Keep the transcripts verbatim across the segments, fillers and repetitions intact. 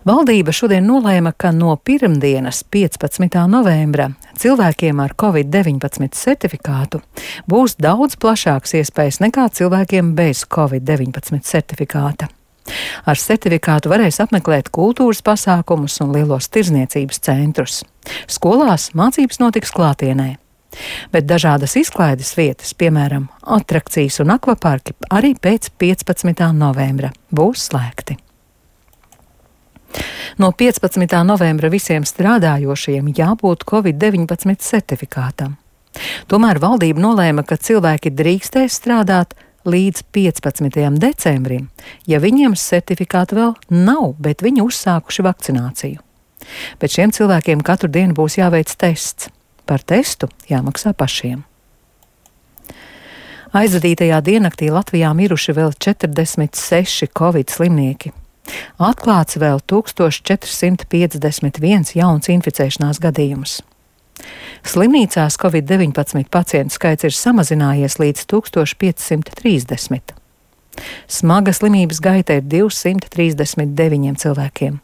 Valdība šodien nolēma, ka no pirmdienas, piecpadsmitā novembra, cilvēkiem ar covid deviņpadsmit certifikātu būs daudz plašāks iespējas nekā cilvēkiem bez covid deviņpadsmit certifikāta. Ar certifikātu varēs apmeklēt kultūras pasākumus un lielos tirdzniecības centrus. Skolās mācības notiks klātienē. Bet dažādas izklaides vietas, piemēram, atrakcijas un akvaparki, arī pēc piecpadsmitā novembra būs slēgti. No piecpadsmitā novembra visiem strādājošiem jābūt covid deviņpadsmit certifikātam. Tomēr valdība nolēma, ka cilvēki drīkstēs strādāt līdz piecpadsmitajam decembrim, ja viņiem certifikāta vēl nav, bet viņi uzsākuši vakcināciju. Bet šiem cilvēkiem katru dienu būs jāveic tests. Par testu jāmaksā pašiem. Aizvadītajā diennaktī Latvijā miruši vēl četrdesmit seši covid slimnieki. Atklāts vēl tūkstoš četri simti piecdesmit viens jauns inficēšanās gadījums. Slimnīcās covid deviņpadsmit pacientu skaits ir samazinājies līdz tūkstoš pieci simti trīsdesmit. Smaga slimības gaita ir divsimt trīsdesmit deviņiem cilvēkiem.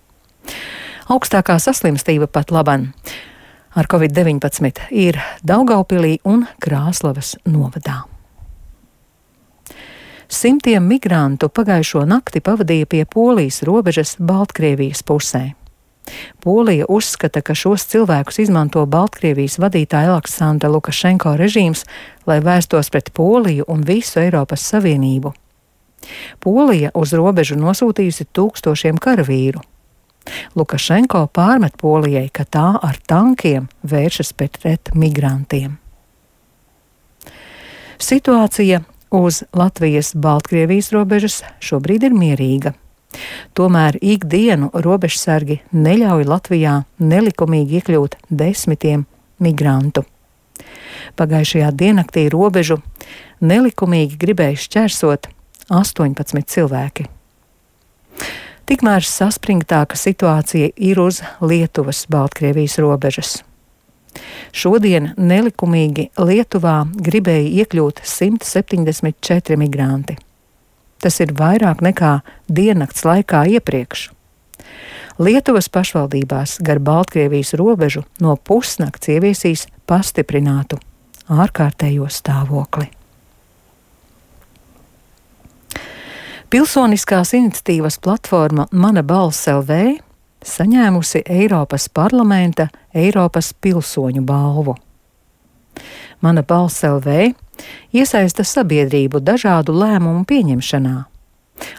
Augstākā saslimstība pat laban ar covid deviņpadsmit ir Daugaupilī un Krāslavas novadā. Simtiem migrantu pagājušo nakti pavadīja pie Polijas robežas Baltkrievijas pusē. Polija uzskata, ka šos cilvēkus izmanto Baltkrievijas vadītāja Aleksandra Lukašenko režīms, lai vērstos pret Poliju un visu Eiropas Savienību. Polija uz robežu nosūtījusi tūkstošiem karavīru. Lukašenko pārmet Polijai, ka tā ar tankiem vēršas pret migrantiem. Situācija uz Latvijas-Baltkrievijas robežas šobrīd ir mierīga. Tomēr ikdienu robežsargi neļauj Latvijā nelikumīgi iekļūt desmitiem migrantu. Pagājušajā diennaktī robežu nelikumīgi gribēja šķērsot astoņpadsmit cilvēki. Tikmēr saspringtāka situācija ir uz Lietuvas-Baltkrievijas robežas. Šodien nelikumīgi Lietuvā gribēja iekļūt simt septiņdesmit četri migranti. Tas ir vairāk nekā diennakts laikā iepriekš. Lietuvas pašvaldībās gar Baltkrievijas robežu no pusnakts ieviesīs pastiprinātu ārkārtējo stāvokli. Pilsoniskās iniciatīvas platforma Mana balss L V saņēmusi Eiropas parlamenta Eiropas pilsoņu balvu. Mana balss L V iesaista sabiedrību dažādu lēmumu pieņemšanā.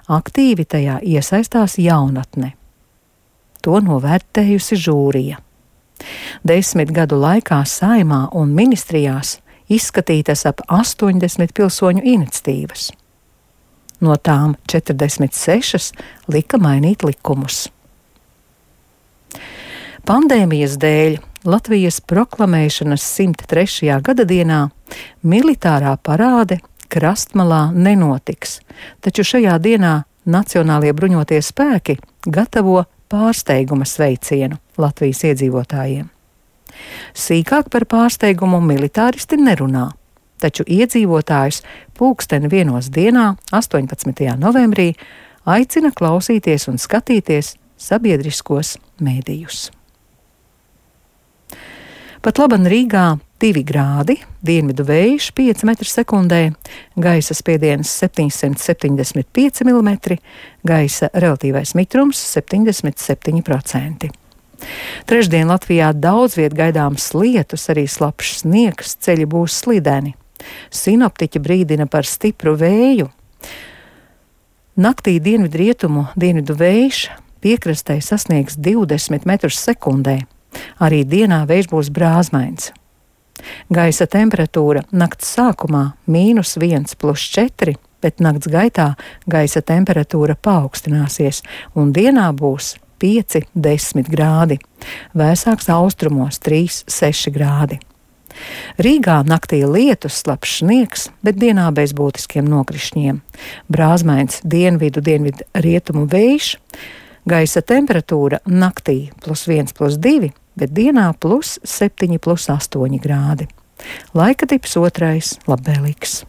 Aktīvi tajā iesaistās jaunatne. To novērtējusi žūrija. Desmit gadu laikā Saeimā un ministrijās izskatītas ap astoņdesmit pilsoņu iniciatīvas. No tām četrdesmit sešas lika mainīt likumus. Pandēmijas dēļ Latvijas proklamēšanas simt trešajā gadadienā militārā parāde Krastmalā nenotiks, taču šajā dienā Nacionālie bruņotie spēki gatavo pārsteiguma sveicienu Latvijas iedzīvotājiem. Sīkāk par pārsteigumu militāristi nerunā, taču iedzīvotājus pulksteni vienos dienā, astoņpadsmitajā novembrī, aicina klausīties un skatīties sabiedriskos mēdījus. Pat laban Rīgā divi grādi, dienvidu vējš pieci metri sekundē, gaisa spiediens septiņsimt septiņdesmit pieci milimetri, gaisa relatīvais mitrums septiņdesmit septiņi procenti. Trešdien Latvijā daudz viet gaidāms lietus, arī slapjš sniegs, ceļi būs slideni. Sinoptiķi brīdina par stipru vēju. Naktī dienvidu rietumu dienvidu vējš piekrastē sasniegs divdesmit metrus sekundē. Arī dienā vējš būs brāzmains. Gaisa temperatūra nakts sākumā mīnus viens plus četri, bet nakts gaitā gaisa temperatūra paaugstināsies un dienā būs pieci desmit grādi. Vēsāks austrumos trīs seši grādi. Rīgā naktī lietus, slapjš sniegs, bet dienā bez būtiskiem nokrišņiem. Brāzmains dienvidu dienvidu rietumu vējš. Gaisa temperatūra naktī plus viens plus divi, bet dienā plus septiņi plus astoņi grādi. Laika tips otrais labvēlīgs.